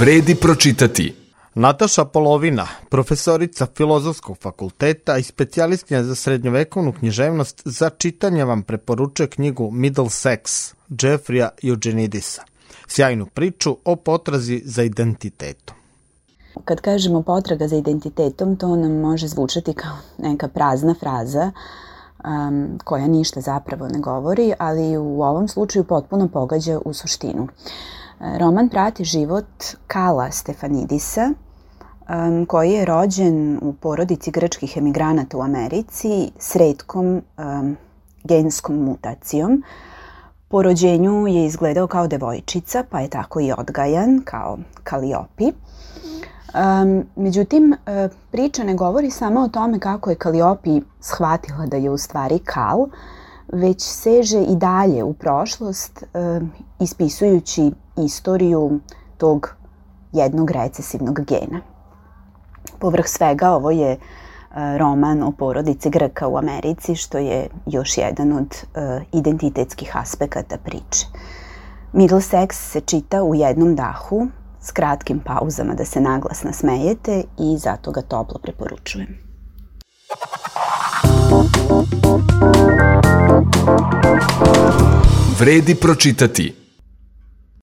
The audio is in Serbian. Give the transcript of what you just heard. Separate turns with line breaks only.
Vredi pročitati.
Nataša Polovina, profesorica Filozofskog fakulteta i specijalistkinja za srednjovekovnu književnost, za čitanje vam preporučuje knjigu Middlesex Jeffreya Eugenidisa. Sjajnu priču o potrazi za identitetom.
Kad kažemo potraga za identitetom, to nam može zvučati kao neka prazna fraza koja ništa zapravo ne govori, ali u ovom slučaju potpuno pogađa u suštinu. Roman prati život Kala Stefanidisa, koji je rođen u porodici grčkih emigranata u Americi s retkom genskom mutacijom. Po rođenju je izgledao kao devojčica, pa je tako i odgajan kao Kaliopi. Međutim, priča ne govori samo o tome kako je Kaliopi shvatila da je u stvari Kal, već seže i dalje u prošlost, ispisujući istoriju tog jednog recesivnog gena. Povrh svega, ovo je roman o porodici Grka u Americi, što je još jedan od identitetskih aspekata priče. Middlesex se čita u jednom dahu, s kratkim pauzama da se naglas nasmejete, i zato ga toplo preporučujem.
Vredi pročitati.